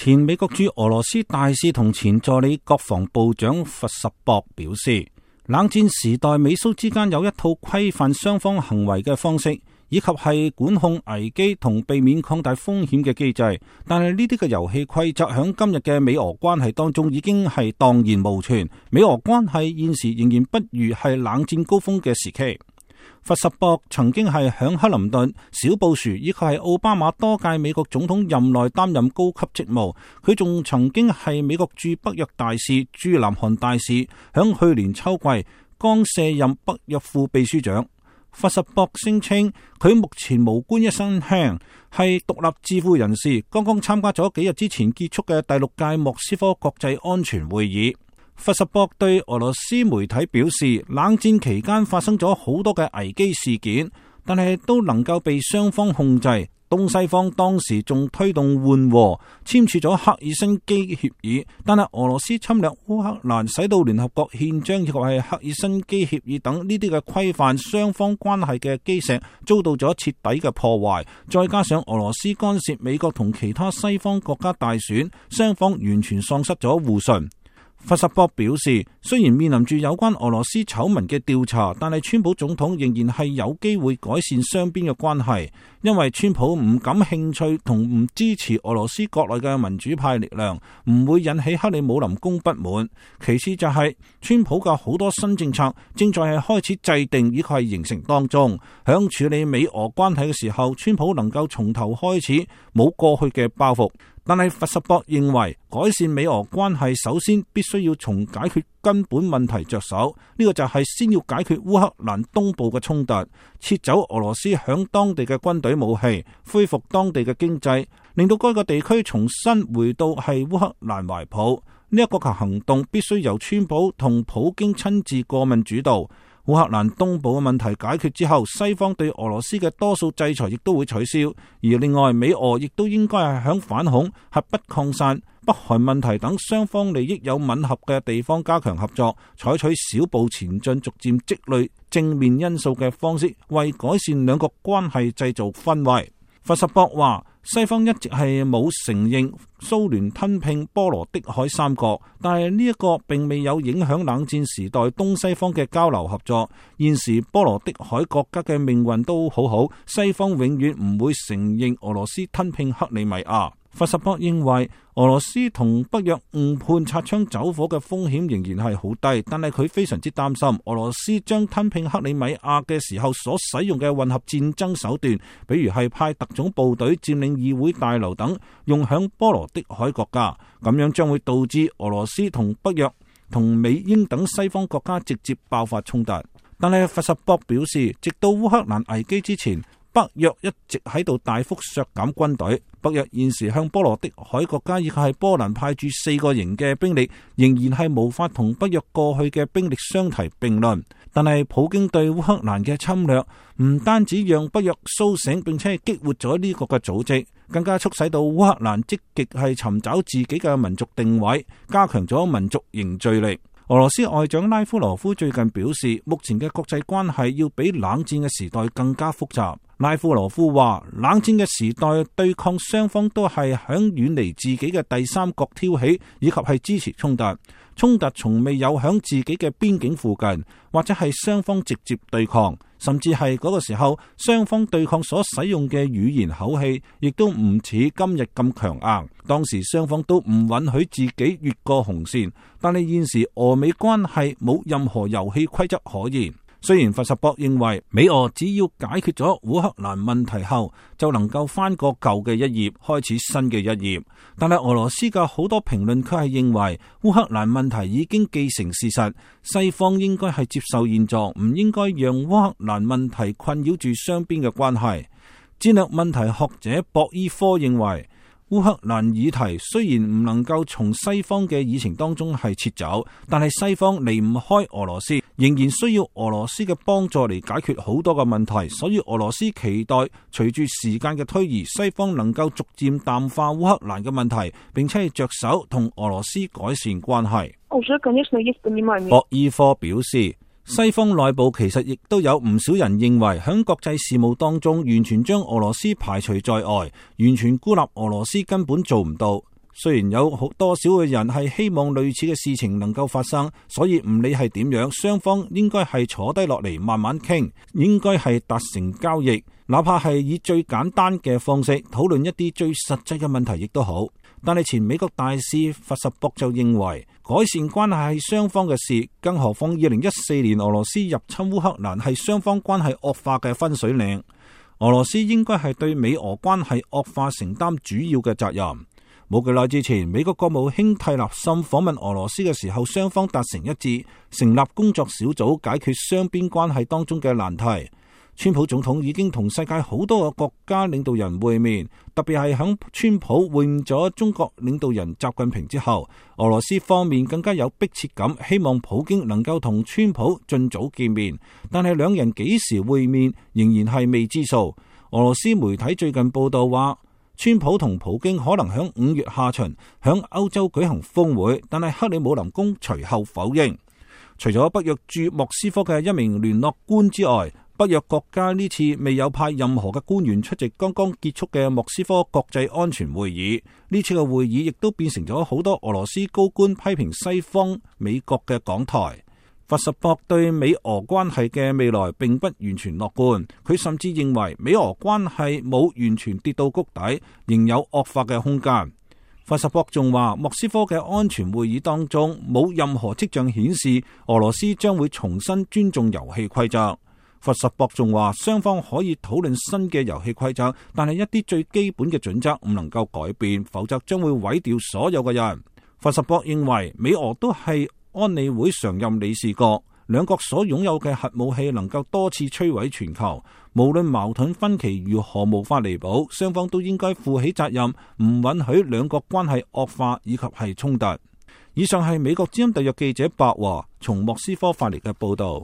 前美國駐俄羅斯大使同前助理國防部長弗什博表示，冷戰時代美蘇之間有一套規範雙方行為嘅方式，以及係管控危機同避免擴大風險嘅機制。但係呢啲嘅遊戲規則響今日嘅美俄關係當中已經係蕩然無存。美俄關係現時仍然不如係冷戰高峰嘅時期。弗什博曾經係響克林頓、小布殊以及係奧巴馬多屆美國總統任內擔任高級職務。佢仲曾經係美國駐北約大使、駐南韓大使，響去年秋季剛卸任北約副秘書長。弗什博聲稱佢目前無官一身輕，係獨立智庫人士，剛剛參加咗幾日之前結束嘅第6屆莫斯科國際安全會議。弗什博對俄羅斯媒體表示，冷戰期間發生咗好多嘅危機事件，但係都能夠被雙方控制。東西方當時仲推動緩和，簽署咗赫爾辛基協議，但係俄羅斯侵略烏克蘭，使到聯合國憲章以及係赫爾辛基協議等呢啲嘅規範雙方關係嘅基石遭到咗徹底嘅破壞，再加上俄羅斯干涉美國同其他西方國家大選，雙方完全喪失咗互信。弗什博表示，雖然面臨住有關俄羅斯醜聞嘅調查，但係川普總統仍然係有機會改善雙邊嘅關係，因為川普唔感興趣同唔支持俄羅斯國內嘅民主派力量，唔會引起克里姆林宮不滿。其次就係川普嘅好多新政策正在係開始制定以及係形成當中，響處理美俄關係嘅時候，川普能夠從頭開始，冇過去嘅包袱。但係弗什博認為，改善美俄關係首先必須要從解決根本問題着手，呢個就係先要解決烏克蘭東部嘅衝突，撤走俄羅斯響當地嘅軍隊武器，恢復當地嘅經濟，令到該個地區重新回到係烏克蘭懷抱。呢一個行動必須由川普同普京親自過問主導。烏克蘭東部嘅問題解決之後，西方對俄羅斯嘅多數制裁亦都會取消。而另外，美俄亦都應該係響反恐、核不擴散、北韓問題等雙方利益有吻合嘅地方加強合作，採取小步前進、逐漸積累正面因素嘅方式，為改善兩國關係製造氛圍。弗什博話，西方一直係冇承認蘇聯吞併波羅的海三國，但係呢一個並未有影響冷戰時代東西方嘅交流合作。現時波羅的海國家嘅命運都好好，西方永遠唔會承認俄羅斯吞併克里米亞。弗什博認為，俄羅斯同北約誤判擦槍走火嘅風險仍然係好低，但係佢非常之擔心俄羅斯將吞併克里米亞嘅時候所使用嘅混合戰爭手段，比如係派特種部隊佔領議會大樓等，用響波羅的海國家，咁樣將會導致俄羅斯同北約同美英等西方國家直接爆發衝突。但係弗什博表示，直到烏克蘭危機之前，北約一直喺度大幅削減軍隊。北約現時向波羅的海國家以及係波蘭派駐4個營嘅兵力，仍然係無法同北約過去嘅兵力相提並論。但係普京對烏克蘭嘅侵略，唔單止讓北約蘇醒，並且係激活咗呢個嘅組織，更加促使到烏克蘭積極係尋找自己嘅民族定位，加強咗民族凝聚力。俄羅斯外長拉夫羅夫最近表示，目前嘅國際關係要比冷戰嘅時代更加複雜。拉夫羅夫話，冷戰嘅時代對抗雙方都係響遠離自己嘅第三國挑起，以及係支持衝突。衝突從未有響自己嘅邊境附近，或者係雙方直接對抗，甚至係嗰個時候雙方對抗所使用嘅語言口氣，亦都唔似今日咁強硬。當時雙方都唔允許自己越過紅線，但係現時俄美關係冇任何遊戲規則可言。雖然弗什博認為美俄只要解決咗烏克蘭問題後，就能夠翻過舊嘅一頁，開始新嘅一頁，但係俄羅斯嘅好多評論卻係認為烏克蘭問題已經既成事實，西方應該係接受現狀，唔應該讓烏克蘭問題困擾住雙邊嘅關係。戰略問題學者博伊科認為，烏克蘭議題雖然唔能夠從西方嘅議程當中係撤走，但係西方離唔開俄羅斯，仍然需要俄羅斯嘅幫助嚟解決好多嘅問題，所以俄羅斯期待隨住時間嘅推移，西方能夠逐漸淡化烏克蘭嘅問題，並且係着手同俄羅斯改善關係。博伊科表示，西方內部其實亦都有唔少人認為，喺國際事務當中完全將俄羅斯排除在外，完全孤立俄羅斯根本做唔到。雖然有多少嘅人係希望類似嘅事情能夠發生，所以唔理係點樣，雙方應該係坐低落嚟慢慢傾，應該係達成交易，哪怕係以最簡單嘅方式討論一啲最實際嘅問題亦都好。但係前美國大使佛什博就認為，改善關係係雙方嘅事，更何況2014年俄羅斯入侵烏克蘭係雙方關係惡化嘅分水嶺，俄羅斯應該係對美俄關係惡化承擔主要嘅責任。冇幾耐之前，美國國務卿蒂勒森訪問俄羅斯嘅時候，雙方達成一致，成立工作小組解決雙邊關係當中嘅難題。川普總統已經同世界好多個國家領導人會面，特別係響川普會面咗中國領導人習近平之後，俄羅斯方面更加有迫切感，希望普京能夠同川普盡早見面，但係兩人幾時會面仍然係未知數。俄羅斯媒體最近報道話，川普同普京可能響5月下旬響歐洲舉行峰會，但係克里姆林宮隨後否認。除咗北約駐莫斯科嘅一名聯絡官之外，北約國家呢次未有派任何嘅官員出席剛剛結束嘅莫斯科國際安全會議。呢次嘅會議亦都變成咗好多俄羅斯高官批評西方美國嘅講台。佛什博對美俄關係嘅未來並不完全樂觀，佢甚至認為美俄關係冇完全跌到谷底，仍有惡化嘅空間。佛什博仲話，莫斯科嘅安全會議當中冇任何跡象顯示俄羅斯將會重新尊重遊戲規則。佛什博仲話，雙方可以討論新嘅遊戲規則，但係一啲最基本嘅準則唔能夠改變，否則將會毀掉所有嘅人。佛什博認為，美俄都係安理會常任理事國，兩國所擁有嘅核武器能夠多次摧毀全球，無論矛盾分歧如何無法彌補，雙方都應該負起責任，唔允許兩國關係惡化以及係衝突。以上係美國之音特約記者白華從莫斯科發嚟嘅報道。